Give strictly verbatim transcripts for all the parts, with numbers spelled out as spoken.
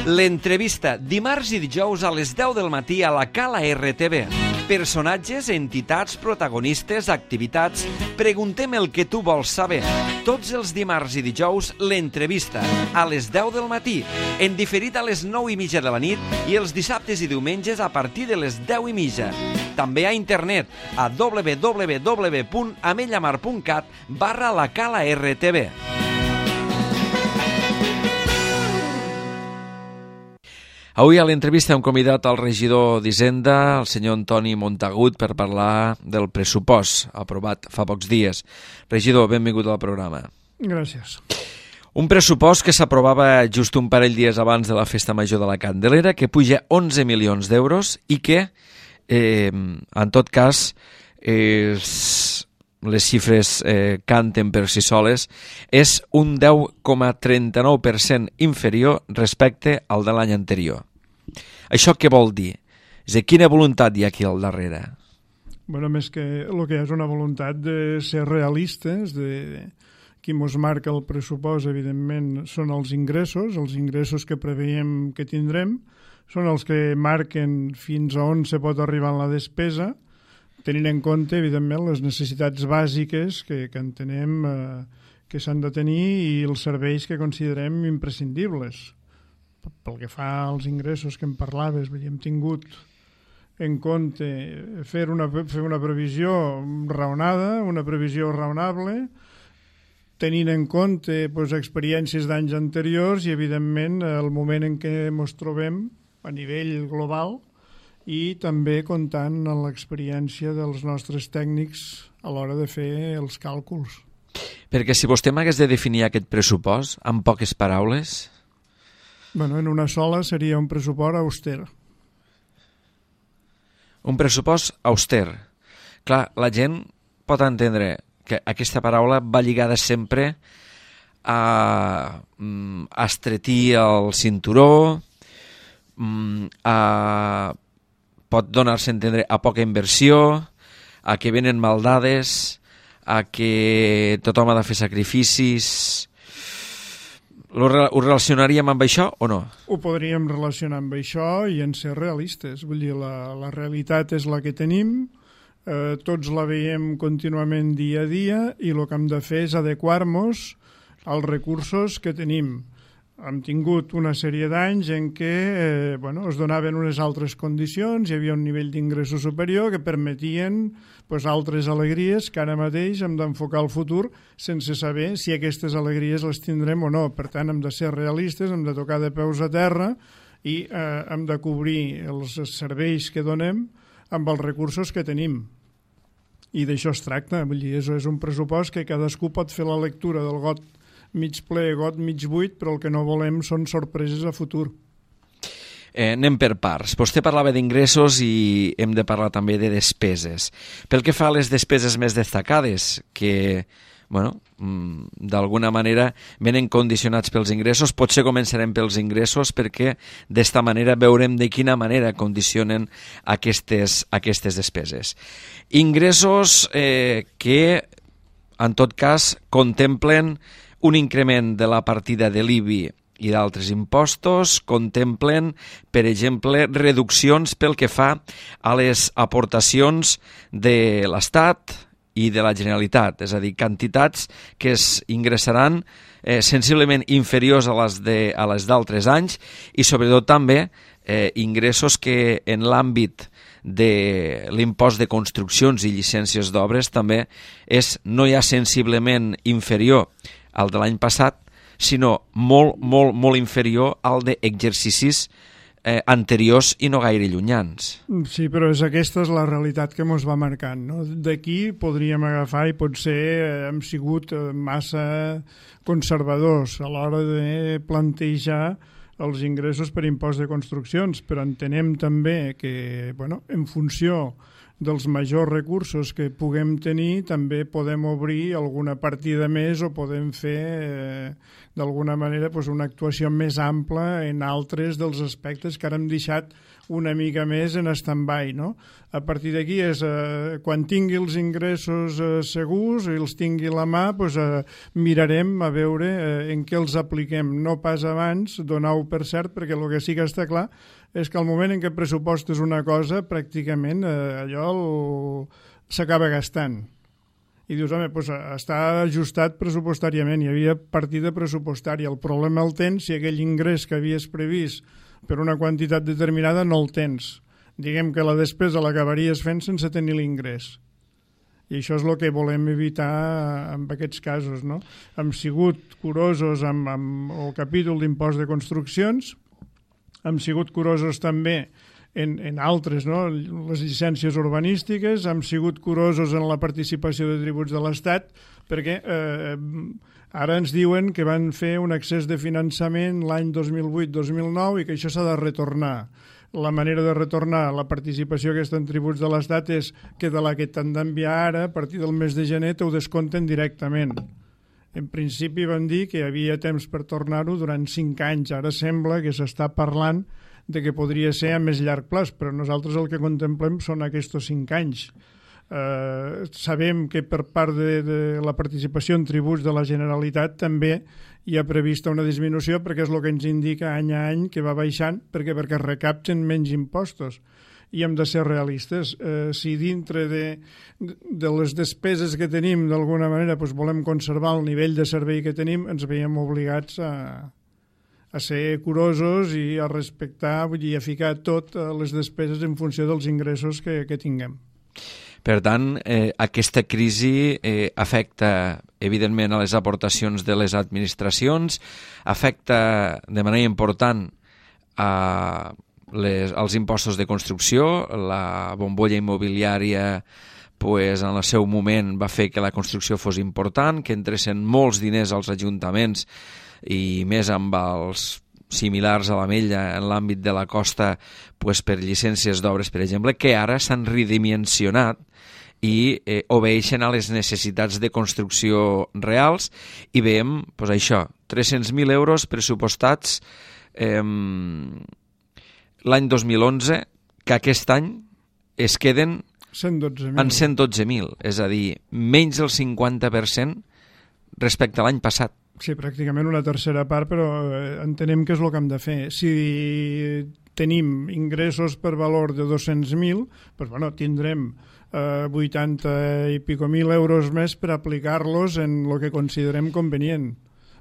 L'entrevista, dimarts i dijous a les deu del matí a la Cala R T V. Personatges, entitats, protagonistes, activitats... Preguntem el que tu vols saber. Tots els dimarts i dijous, l'entrevista, a les deu del matí, en diferit a les nou i mitja de la nit i els dissabtes i diumenges a partir de les deu i mitja. També a internet, a w w w punt amellamar punt cat barra la Cala R T V. Avui a l'entrevista hem convidat al regidor d'Hisenda, el senyor Antoni Montagut, per parlar del pressupost aprovat fa pocs dies. Regidor, benvingut al programa. Gràcies. Un pressupost que s'aprovava just un parell dies abans de la Festa Major de la Candelera, que puja onze milions d'euros i que, eh, en tot cas, eh, les xifres eh, canten per si soles, és un deu coma trenta-nou per cent inferior respecte al de l'any anterior. Això què vol dir? És a dir, quina voluntat hi ha aquí al darrere? Bueno, més que el que hi ha és una voluntat de ser realistes, de qui mos marca el pressupost, evidentment, són els ingressos, els ingressos que preveiem que tindrem, són els que marquen fins a on se pot arribar en la despesa, tenint en compte, evidentment, les necessitats bàsiques que, que entenem eh, que s'han de tenir i els serveis que considerem imprescindibles. Pel que fa als ingressos que em parlaves, hem tingut en compte fer una, fer una previsió raonada, una previsió raonable, tenint en compte pues, experiències d'anys anteriors i, evidentment, el moment en què ens trobem a nivell global i també comptant amb l'experiència dels nostres tècnics a l'hora de fer els càlculs. Perquè si vostè m'hagués de definir aquest pressupost en poques paraules... Bueno, en una sola seria un pressupost auster. Un pressupost auster. Clar, la gent pot entendre que aquesta paraula va lligada sempre a, a estretir el cinturó, a, pot donar-se a entendre a poca inversió, a que venen maldades, a que tothom ha de fer sacrificis... Ho relacionaríem amb això o no? Ho podríem relacionar amb això i en ser realistes. Vull dir, la, la realitat és la que tenim, eh, tots la veiem contínuament dia a dia i el que hem de fer és adequar-nos als recursos que tenim. Hem tingut una sèrie d'anys en què eh, bueno, es donaven unes altres condicions, hi havia un nivell d'ingressos superior que permetien pues, altres alegries que ara mateix hem d'enfocar al futur sense saber si aquestes alegries les tindrem o no. Per tant, hem de ser realistes, hem de tocar de peus a terra i eh, hem de cobrir els serveis que donem amb els recursos que tenim. I d'això es tracta. Vull dir, és un pressupost que cadascú pot fer la lectura del got mig ple, got mig buit, però el que no volem són sorpreses a futur. Eh, anem per parts. Vostè parlava d'ingressos i hem de parlar també de despeses. Pel que fa a les despeses més destacades, que bueno, d'alguna manera venen condicionats pels ingressos, potser començarem pels ingressos perquè d'esta manera veurem de quina manera condicionen aquestes, aquestes despeses. Ingressos eh, que, en tot cas, contemplen un increment de la partida de l'I B I i d'altres impostos, contemplen, per exemple, reduccions pel que fa a les aportacions de l'Estat i de la Generalitat, és a dir, quantitats que es ingressaran eh, sensiblement inferiors a les de, a les d'altres anys i sobretot també eh, ingressos que en l'àmbit de l'impost de construccions i llicències d'obres també és no ja sensiblement inferior al de l'any passat, sinó molt, molt, molt inferior al d'exercicis eh, anteriors i no gaire llunyans. Sí, però és aquesta és la realitat que ens va marcant. No? D'aquí podríem agafar i potser hem sigut massa conservadors a l'hora de plantejar els ingressos per impost de construccions, però entenem també que, bueno, en funció dels majors recursos que puguem tenir, també podem obrir alguna partida més o podem fer, eh, d'alguna manera, pues, una actuació més ampla en altres dels aspectes que ara hem deixat una mica més en stand-by, no? A partir d'aquí és, eh, quan tingui els ingressos eh, segurs i els tingui a la mà, pues, eh, mirarem a veure eh, en què els apliquem. No pas abans, donar-ho per cert, perquè el que sí que està clar és que al moment en què pressupostes una cosa, pràcticament eh, allò s'acaba gastant. I dius, home, doncs està ajustat pressupostàriament, hi havia partida pressupostària. El problema el tens si aquell ingrés que havies previst per una quantitat determinada no el tens. Diguem que la despesa l'acabaries fent sense tenir l'ingrés. I això és el que volem evitar en aquests casos, no? Hem sigut curosos amb, amb el capítol d'impost de construccions, hem sigut curosos també en, en altres, no? Les llicències urbanístiques, hem sigut curosos en la participació de tributs de l'Estat, perquè eh, ara ens diuen que van fer un excés de finançament l'any dos mil vuit dos mil nou i que això s'ha de retornar. La manera de retornar la participació aquesta en tributs de l'Estat és que de la que t'han d'enviar ara, a partir del mes de gener, t'ho descompten directament. En principi van dir que hi havia temps per tornar-ho durant cinc anys. Ara sembla que s'està parlant de que podria ser a més llarg plaç, però nosaltres el que contemplem són aquests cinc anys. Eh, sabem que per part de, de la participació en tributs de la Generalitat també hi ha prevista una disminució, perquè és el que ens indica any a any que va baixant, perquè perquè es recapten menys impostos. I hem de ser realistes. Eh, si dintre de, de les despeses que tenim d'alguna manera doncs volem conservar el nivell de servei que tenim, ens veiem obligats a, a ser curosos i a respectar, vull dir, a ficar tot les despeses en funció dels ingressos que, que tinguem. Per tant, eh, aquesta crisi eh, afecta, evidentment, a les aportacions de les administracions, afecta de manera important a les, als impostos de construcció. La bombolla immobiliària, pues, en el seu moment va fer que la construcció fos important, que entressin molts diners als ajuntaments i més amb els similars a l'Ametlla en l'àmbit de la costa, pues, per llicències d'obres, per exemple, que ara s'han redimensionat i eh, obeeixen a les necessitats de construcció reals i veiem, pues, això, tres-cents mil euros pressupostats eh, l'any dos mil onze, que aquest any es queden cent dotze mil. En cent dotze mil, és a dir, menys del cinquanta per cent respecte a l'any passat. Sí, pràcticament una tercera part, però entenem que és el que hem de fer. Si tenim ingressos per valor de dos-cents mil, doncs, bueno, tindrem eh, vuitanta i pico mil euros més per aplicar-los en el que considerem convenient.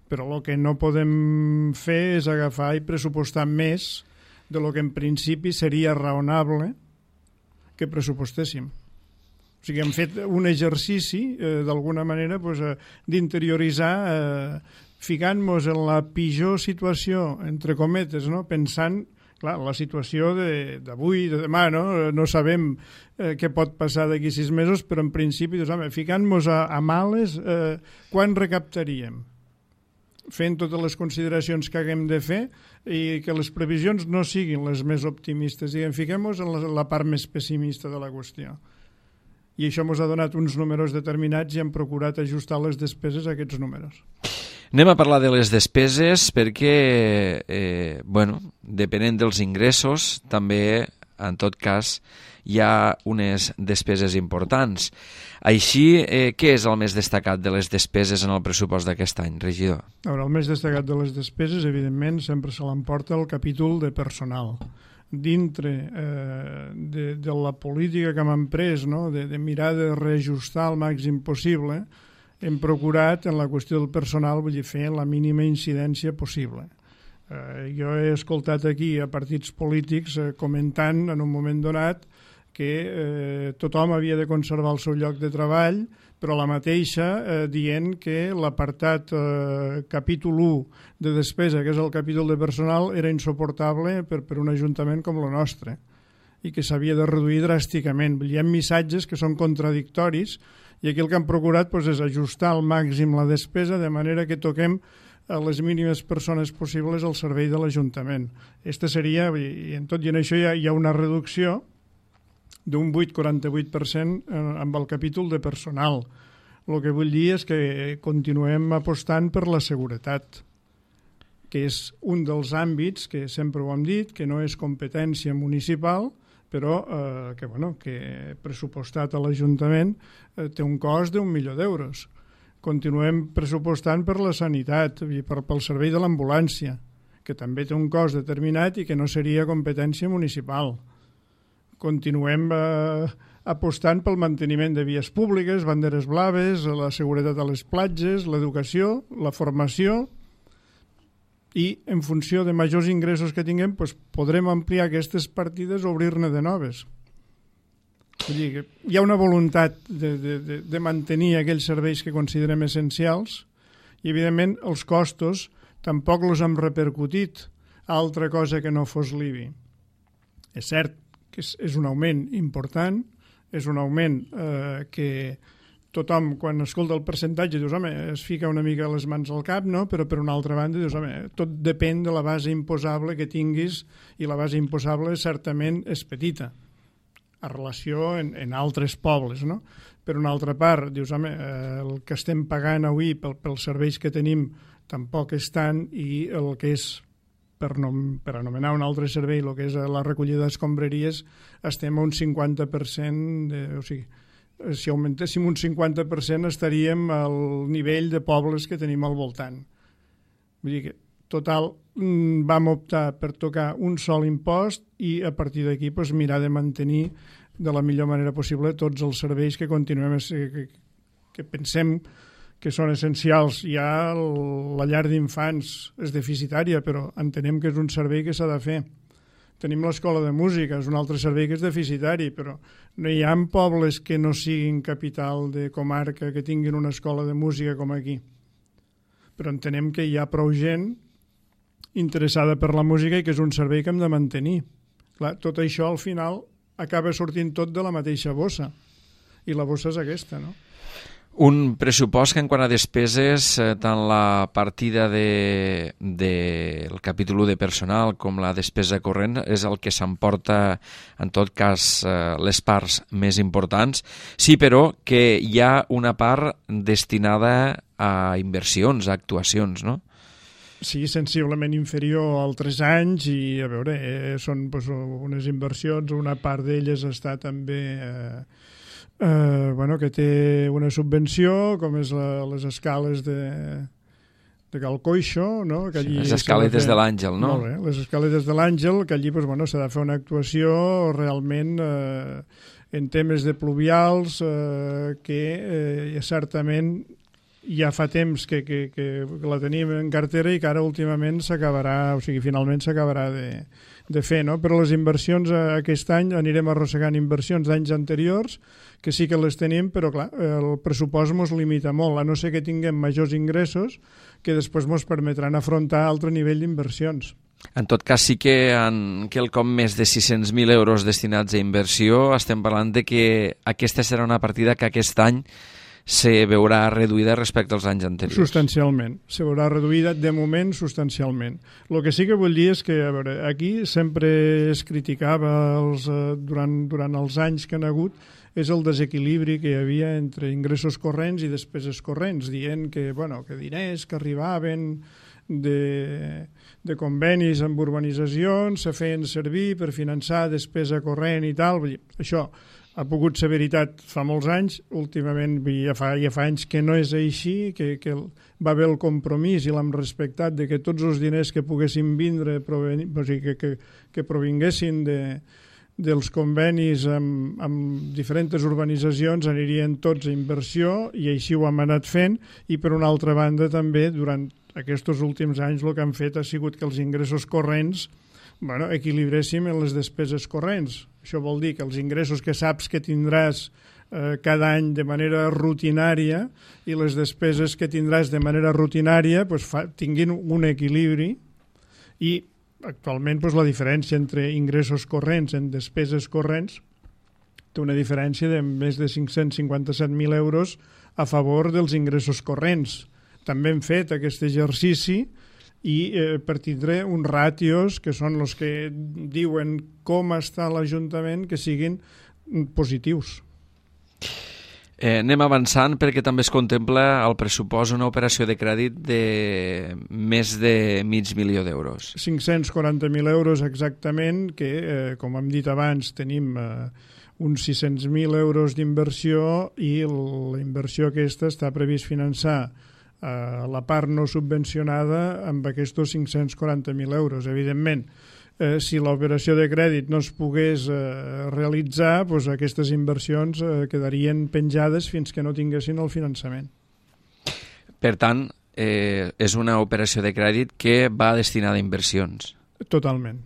Però el que no podem fer és agafar i pressupostar més de lo que en principi seria raonable que pressupostéssim. O sigui, hem fet un exercici, eh, d'alguna manera, pues, eh, d'interioritzar, eh, ficant-nos en la pitjor situació, entre cometes, no? Pensant, clar, la situació d'avui, de, de demà, no? No sabem eh, què pot passar d'aquí sis mesos, però en principi, doncs, home, ficant-nos a, a males, eh, quan recaptaríem? Fent totes les consideracions que haguem de fer i que les previsions no siguin les més optimistes. Diguem, fiquem-nos en la, la part més pessimista de la qüestió. I això ens ha donat uns números determinats i hem procurat ajustar les despeses a aquests números. Anem a parlar de les despeses perquè, eh, bueno, depenent dels ingressos, també, en tot cas, hi ha unes despeses importants. Així, eh, què és el més destacat de les despeses en el pressupost d'aquest any, regidor? A veure, el més destacat de les despeses, evidentment, sempre se l'emporta el capítol de personal. Dintre eh, de, de la política que hem pres, no? de, de mirar de reajustar al màxim possible, hem procurat en la qüestió del personal, vull dir, fer la mínima incidència possible. Eh, jo he escoltat aquí a partits polítics eh, comentant en un moment donat que eh, tothom havia de conservar el seu lloc de treball, però la mateixa eh, dient que l'apartat eh, capítol u de despesa, que és el capítol de personal, era insuportable per, per un ajuntament com el nostre i que s'havia de reduir dràsticament. Hi ha missatges que són contradictoris i aquí el que hem procurat doncs, és ajustar al màxim la despesa de manera que toquem a les mínimes persones possibles al servei de l'Ajuntament. Aquesta seria, i en tot i en això hi ha, hi ha una reducció d'un vuit coma quaranta-vuit per cent amb el capítol de personal. El que vull dir és que continuem apostant per la seguretat, que és un dels àmbits que sempre ho hem dit, que no és competència municipal, però eh, que, bueno, que pressupostat a l'Ajuntament eh, té un cost d'un milió d'euros. Continuem pressupostant per la sanitat i per, pel servei de l'ambulància, que també té un cost determinat i que no seria competència municipal. Continuem eh, apostant pel manteniment de vies públiques, banderes blaves, la seguretat a les platges, l'educació, la formació, i en funció de majors ingressos que tinguem doncs podrem ampliar aquestes partides o obrir-ne de noves. Vull dir que hi ha una voluntat de, de, de, de mantenir aquells serveis que considerem essencials i, evidentment, els costos tampoc els hem repercutit a altra cosa que no fos l'I B I. És cert que és, és un augment important, és un augment eh, que tothom, quan escolta el percentatge, dius, home, es fica una mica les mans al cap, no? Però per una altra banda, dius, home, tot depèn de la base imposable que tinguis i la base imposable certament és petita a relació en, en altres pobles, no? Per una altra part, dius, home, eh, el que estem pagant avui pel, pels serveis que tenim tampoc és tant i el que és, per, nom, per anomenar un altre servei, el que és la recollida d'escombraries, estem a un cinquanta per cent, de, o sigui, si augmentéssim un cinquanta per cent estaríem al nivell de pobles que tenim al voltant. Vull dir que, total, vam optar per tocar un sol impost i a partir d'aquí pues, mirar de mantenir de la millor manera possible tots els serveis que continuem a ser, que, que pensem que són essencials. Ja la llar d'infants és deficitària, però entenem que és un servei que s'ha de fer. Tenim l'escola de música, és un altre servei que és deficitari, però no hi ha pobles que no siguin capital de comarca que tinguin una escola de música com aquí. Però entenem que hi ha prou gent interessada per la música i que és un servei que hem de mantenir. Clar, tot això al final acaba sortint tot de la mateixa bossa, i la bossa és aquesta, no? Un pressupost que en quant a despeses, eh, tant la partida de, de, el capítol de personal com la despesa corrent és el que s'emporta, en tot cas, eh, les parts més importants. Sí, però, que hi ha una part destinada a inversions, a actuacions, no? Sí, sensiblement inferior a altres anys i, a veure, eh, són pues, unes inversions, una part d'elles està també... Eh, Uh, bueno, que té una subvenció, com és la, les escales de, de Cal Coixo, no? Que allí sí, les escaletes de, de l'Àngel, no? Molt bé, les escaletes de l'Àngel, que allí pues, bueno, s'ha de fer una actuació realment eh, en temes de pluvials eh, que eh, certament ja fa temps que, que, que la tenim en cartera i que ara últimament s'acabarà, o sigui, finalment s'acabarà de, de fer, no? Però les inversions aquest any anirem arrossegant inversions d'anys anteriors que sí que les tenim, però clar, el pressupost ens limita molt, a no ser que tinguem majors ingressos que després ens permetran afrontar altre nivell d'inversions. En tot cas, sí que en quelcom més de sis-cents mil euros destinats a inversió estem parlant de que aquesta serà una partida que aquest any se veurà reduïda respecte als anys anteriors. Substancialment. Se veurà reduïda, de moment, substancialment. El que sí que vull dir és que, a veure, aquí sempre es criticava els, eh, durant, durant els anys que han hagut és el desequilibri que hi havia entre ingressos corrents i despeses corrents, dient que, bueno, que diners que arribaven de, de convenis amb urbanitzacions se feien servir per finançar despesa corrent i tal. Vull dir, això ha pogut ser veritat fa molts anys, últimament ja fa, ja fa anys que no és així, que, que va haver el compromís i l'hem respectat de que tots els diners que poguessin vindre, proveni, o sigui, que, que, que provinguessin de, dels convenis amb, amb diferents urbanitzacions anirien tots a inversió i així ho hem anat fent i per una altra banda també durant aquests últims anys el que han fet ha sigut que els ingressos corrents bueno, equilibréssim en les despeses corrents. Això vol dir que els ingressos que saps que tindràs eh, cada any de manera rutinària i les despeses que tindràs de manera rutinària pues, fa, tinguin un equilibri i actualment pues, la diferència entre ingressos corrents en despeses corrents té una diferència de més de cinc-cents cinquanta-set mil euros a favor dels ingressos corrents. També hem fet aquest exercici i eh, per tindre uns ràtios que són els que diuen com està l'Ajuntament que siguin positius. Eh, anem avançant perquè també es contempla al pressupost una operació de crèdit de més de mig milió d'euros. cinc-cents quaranta mil euros exactament, que, eh, com hem dit abans, tenim eh, uns sis-cents mil euros d'inversió i la inversió aquesta està previst finançar eh, la part no subvencionada amb aquests cinc-cents quaranta mil euros. Evidentment, Eh, si l'operació de crèdit no es pogués eh, realitzar, doncs aquestes inversions eh, quedarien penjades fins que no tinguessin el finançament. Per tant, eh, és una operació de crèdit que va destinada a inversions. Totalment.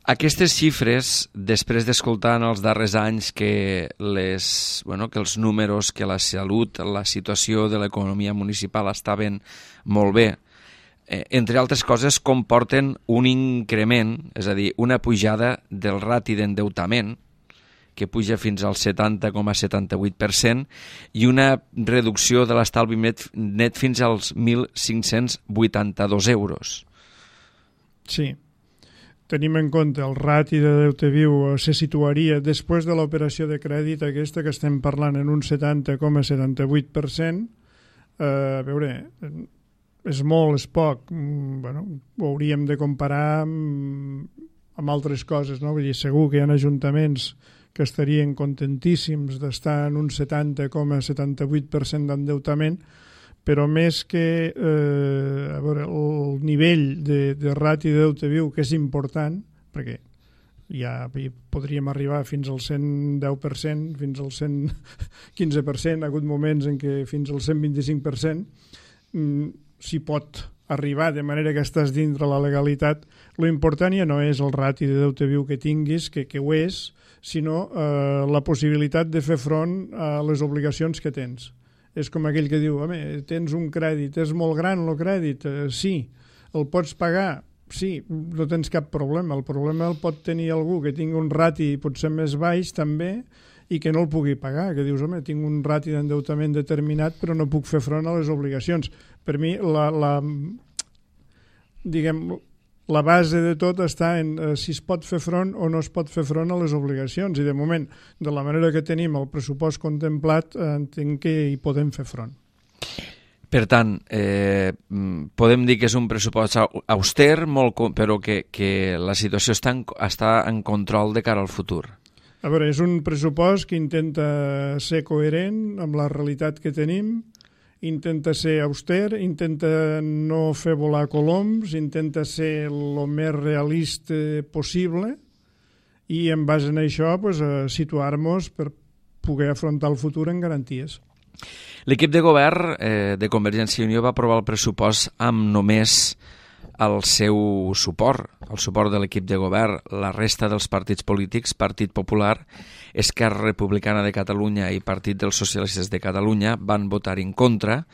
Aquestes xifres, després d'escoltar en els darrers anys que, les, bueno, que els números, que la salut, la situació de l'economia municipal estaven molt bé, Eh, entre altres coses, comporten un increment, és a dir, una pujada del rati d'endeutament, que puja fins al setanta coma setanta-vuit per cent, i una reducció de l'estalvi net, net fins als mil cinc-cents vuitanta-dos euros. Sí. Tenim en compte el rati de deute viu se situaria després de l'operació de crèdit aquesta que estem parlant en un setanta coma setanta-vuit per cent. Eh, a veure... és molt, és poc, bueno, ho hauríem de comparar amb, amb altres coses, no? Vull dir, segur que hi ha ajuntaments que estarien contentíssims d'estar en un setanta coma setanta-vuit per cent d'endeutament, però més que eh, a veure, el nivell de, de rati de deute viu, que és important, perquè ja podríem arribar fins al cent deu per cent, fins al cent quinze per cent, ha hagut moments en què fins al cent vint-i-cinc per cent, s'hi pot arribar de manera que estàs dintre la legalitat. Lo important ja no és el rati de deute viu que tinguis, que, que ho és, sinó eh, la possibilitat de fer front a les obligacions que tens. És com aquell que diu, home, tens un crèdit, és molt gran el crèdit, eh, sí, el pots pagar, sí, no tens cap problema. El problema el pot tenir algú que tingui un rati potser més baix també, i que no el pugui pagar, que dius, home, tinc un rati d'endeutament determinat però no puc fer front a les obligacions. Per mi, la, la, diguem, la base de tot està en eh, si es pot fer front o no es pot fer front a les obligacions, i de moment, de la manera que tenim el pressupost contemplat, eh, entenc que hi podem fer front. Per tant, eh, podem dir que és un pressupost auster, molt, però que, que la situació està en, està en control de cara al futur. A veure, és un pressupost que intenta ser coherent amb la realitat que tenim, intenta ser auster, intenta no fer volar coloms, intenta ser el més realista possible i en base a això pues, situar-nos per poder afrontar el futur en garanties. L'equip de govern eh, de Convergència i Unió va aprovar el pressupost amb només el seu suport, el suport de l'equip de govern. La resta dels partits polítics, Partit Popular, Esquerra Republicana de Catalunya i Partit dels Socialistes de Catalunya, van votar en contra,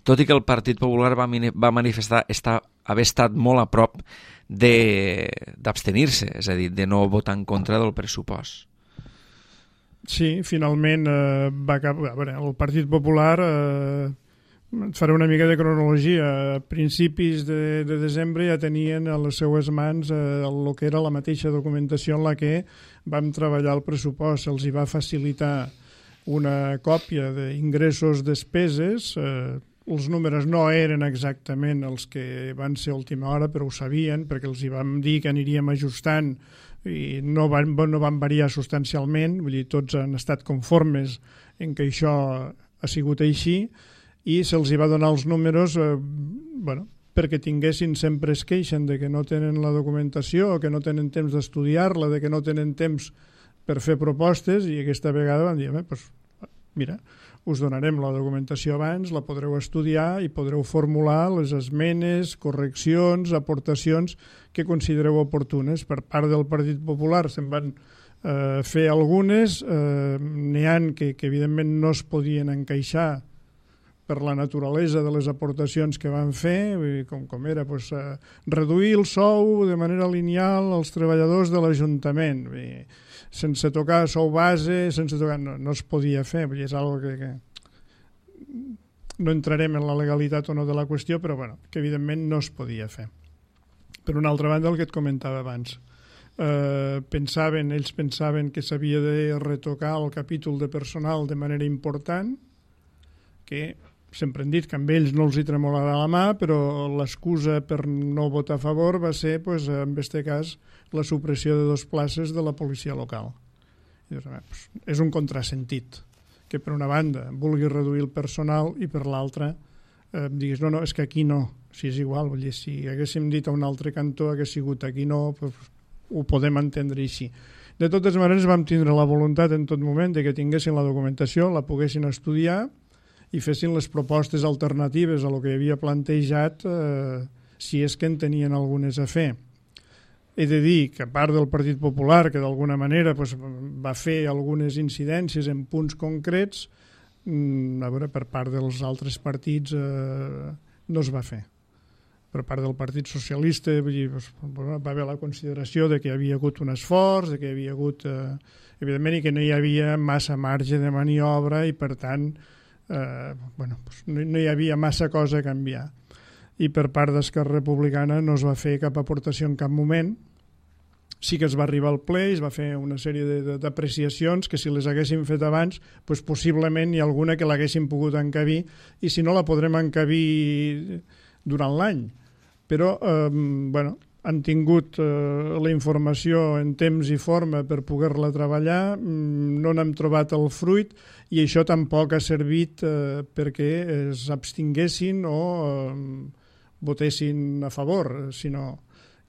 tot i que el Partit Popular va, va manifestar estar, haver estat molt a prop d'abstenir-se, és a dir, de no votar en contra del pressupost. Sí, finalment eh, va acabar, a veure, el Partit Popular, eh, faré una mica de cronologia, a principis de, de desembre ja tenien a les seues mans eh, el que era la mateixa documentació en la que vam treballar el pressupost. Se'ls hi va facilitar una còpia d'ingressos, despeses, eh, els números no eren exactament els que van ser a última hora, però ho sabien perquè els hi vam dir que aniríem ajustant i no van, no van variar substancialment, vull dir, tots han estat conformes en que això ha sigut així, i se'ls hi va donar els números eh, bueno, perquè tinguessin, sempre es queixen de que no tenen la documentació, que no tenen temps d'estudiar-la, de que no tenen temps per fer propostes, i aquesta vegada van dir, eh, pues, mira, us donarem la documentació abans, la podreu estudiar i podreu formular les esmenes, correccions, aportacions que considereu oportunes. Per part del Partit Popular se'n van eh, fer algunes, eh, n'hi ha que, que evidentment no es podien encaixar per la naturalesa de les aportacions que van fer, com, com era pues, eh, reduir el sou de manera lineal als treballadors de l'Ajuntament, sense tocar sou base, sense tocar, no, no es podia fer, és algo que, que no entrarem en la legalitat o no de la qüestió, però bueno, que evidentment no es podia fer. Per una altra banda, el que et comentava abans, eh, pensaven, ells pensaven que s'havia de retocar el capítol de personal de manera important, que sempre han dit que amb ells no els hi tremolarà la mà, però l'excusa per no votar a favor va ser, pues, en aquest cas, la supressió de dues places de la policia local. I dius, pues, és un contrasentit, que per una banda vulgui reduir el personal i per l'altra eh, diguis, no, no, és que aquí no, si és igual, vull dir, si haguéssim dit a un altre cantó hagués sigut aquí no, pues, ho podem entendre així. De totes maneres vam tindre la voluntat en tot moment de que tinguessin la documentació, la poguessin estudiar i fessin les propostes alternatives a lo que havia plantejat, eh, si és que en tenien algunes a fer. He de dir que a part del Partit Popular, que d'alguna manera pues, va fer algunes incidències en punts concrets, a veure, per part dels altres partits eh, no es va fer. Per part del Partit Socialista vull dir, pues, va haver la consideració de que hi havia hagut un esforç, de que hi havia hagut, eh, evidentment, i que no hi havia massa marge de maniobra i, per tant, Eh, bueno, pues no, no hi havia massa cosa a canviar, i per part d'Esquerra Republicana no es va fer cap aportació en cap moment. Sí que es va arribar al ple i es va fer una sèrie d'apreciacions que si les haguéssim fet abans, pues possiblement hi ha alguna que l'haguéssim pogut encabir, i si no la podrem encabir durant l'any, però eh, bueno, han tingut eh, la informació en temps i forma per poder-la treballar, no n'hem trobat el fruit, i això tampoc ha servit eh, perquè s'abstinguessin o eh, votessin a favor, sinó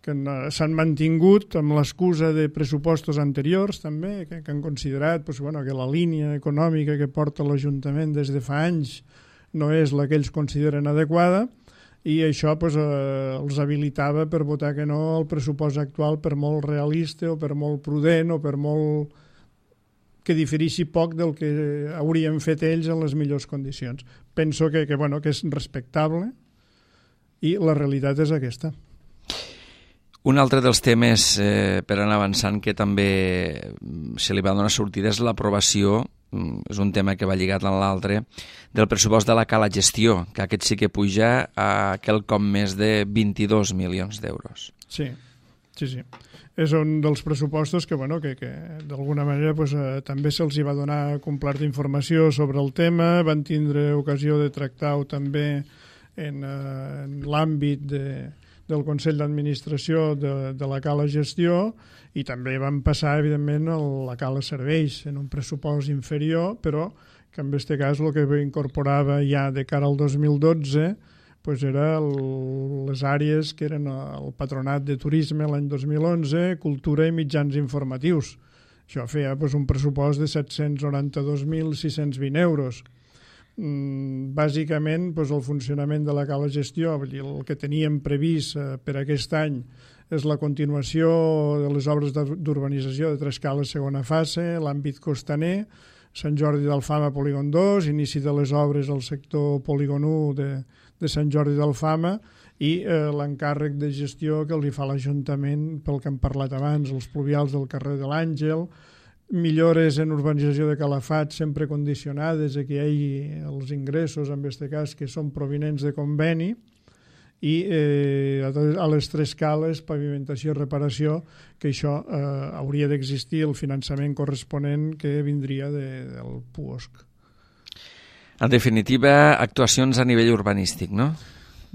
que s'han mantingut amb l'excusa de pressupostos anteriors també, que, que han considerat pues, bueno, que la línia econòmica que porta l'Ajuntament des de fa anys no és la que ells consideren adequada, i això pues, eh, els habilitava per votar que no al pressupost actual, per molt realista o per molt prudent o per molt que diferixi poc del que haurien fet ells en les millors condicions. Penso que, que, bueno, que és respectable i la realitat és aquesta. Un altre dels temes eh, per anar avançant que també se li va donar sortida és l'aprovació, és un tema que va lligat amb l'altre, del pressupost de la Cala Gestió, que aquest sí que puja a quelcom més de vint-i-dos milions d'euros. Sí, sí, sí. És un dels pressupostos que, bueno, que, que d'alguna manera pues, eh, també se'ls va donar completa informació sobre el tema, van tindre ocasió de tractar-ho també en, eh, en l'àmbit de, del Consell d'Administració de, de la Cala Gestió, i també van passar, evidentment, a la Cala Serveis en un pressupost inferior, però que en aquest cas el que incorporava ja de cara al dos mil dotze pues era el, les àrees que eren el Patronat de Turisme l'any dos mil onze, Cultura i Mitjans Informatius. Això feia pues, un pressupost de set-cents noranta-dos mil sis-cents vint euros. Mm, bàsicament pues, el funcionament de la Cala Gestió, el que teníem previst eh, per aquest any, és la continuació de les obres d'urbanització de tres cales segona fase, l'àmbit costaner, Sant Jordi d'Alfama, Polígon dos, inici de les obres al sector Polígon u de, de Sant Jordi d'Alfama i eh, l'encàrrec de gestió que li fa l'Ajuntament pel que hem parlat abans, els pluvials del carrer de l'Àngel, millores en urbanització de Calafat sempre condicionades a que hi hagi els ingressos, en aquest cas, que són provinents de conveni, i eh, a les tres cales, pavimentació i reparació, que això eh, hauria d'existir el finançament corresponent que vindria de, del P U O S C. En definitiva, actuacions a nivell urbanístic, no?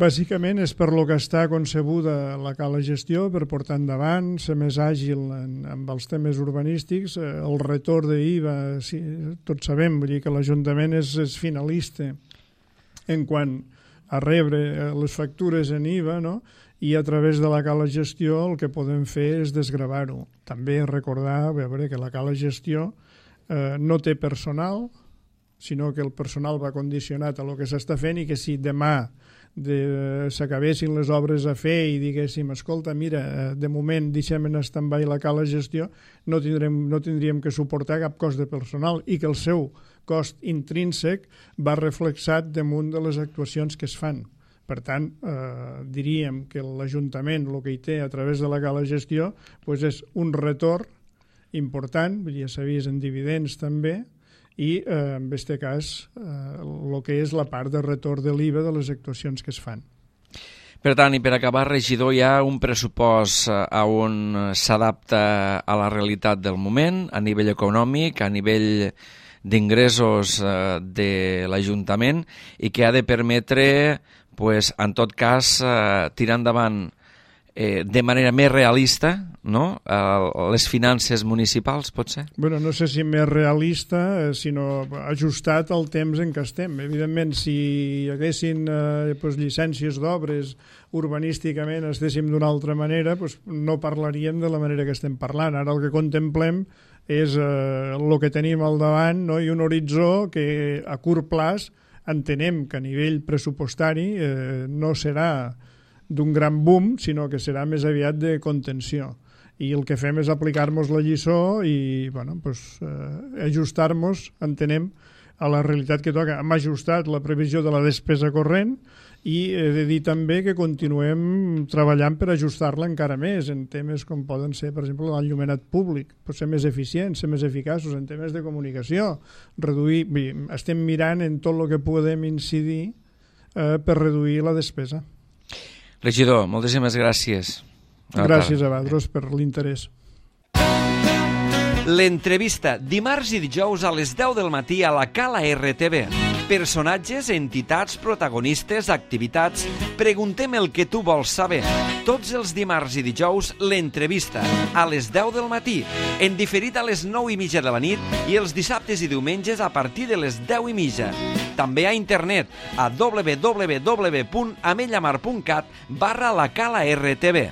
Bàsicament és per lo que està concebuda la Cala Gestió, per portar endavant, ser més àgil en, amb els temes urbanístics. El retorn d'I V A, sí, tots sabem, vull dir que l'Ajuntament és, és finalista en quant a rebre les factures en I V A, no? I a través de la Cala Gestió el que podem fer és desgravar-ho. També recordar a veure, que la Cala Gestió eh, no té personal, sinó que el personal va condicionat a lo que s'està fent, i que si demà de, s'acabessin les obres a fer i diguéssim, escolta, mira, de moment deixem en stand-by la Cala Gestió, no tindrem, no tindríem que suportar cap cost de personal, i que el seu cost intrínsec va reflexat damunt de les actuacions que es fan. Per tant, eh, diríem que l'Ajuntament el que hi té a través de la Cala Gestió pues és un retorn important, ja s'ha vist en dividends també, i eh, en aquest cas el eh, que és la part de retorn de l'I V A de les actuacions que es fan. Per tant, i per acabar, regidor, hi ha un pressupost on s'adapta a la realitat del moment, a nivell econòmic, a nivell d'ingressos de l'Ajuntament, i que ha de permetre, pues, en tot cas, tirar endavant Eh, de manera més realista, no? Eh, les finances municipals, pot ser? Bueno, no sé si més realista, eh, sinó ajustat al temps en què estem. Evidentment, si hi haguessin eh, pues, llicències d'obres urbanísticament estéssim d'una altra manera, pues, no parlaríem de la manera que estem parlant. Ara el que contemplem és eh, el que tenim al davant, no? I un horitzó que a curt plaç entenem que a nivell pressupostari eh, no serà d'un gran boom, sinó que serà més aviat de contenció. I el que fem és aplicar-nos la lliçó i bueno, pues, eh, ajustar-nos, entenem, a la realitat que toca. Hem ajustat la previsió de la despesa corrent i he de dir també que continuem treballant per ajustar-la encara més en temes com poden ser, per exemple, l'enllumenat públic, per ser més eficients, ser més eficaços en temes de comunicació, reduir... Estem mirant en tot el que podem incidir eh, per reduir la despesa. Regidor, moltíssimes gràcies. Gràcies a vosaltres per l'interès. L'entrevista, dimarts i dijous a les deu del matí a la Cala R T V. Personatges, entitats, protagonistes, activitats... Preguntem el que tu vols saber. Tots els dimarts i dijous, l'entrevista, a les deu del matí, en diferit a les nou i mitja de la nit i els dissabtes i diumenges a partir de les deu i mitja. També a internet, a w w w punt amellamar punt cat barra la Cala R T V.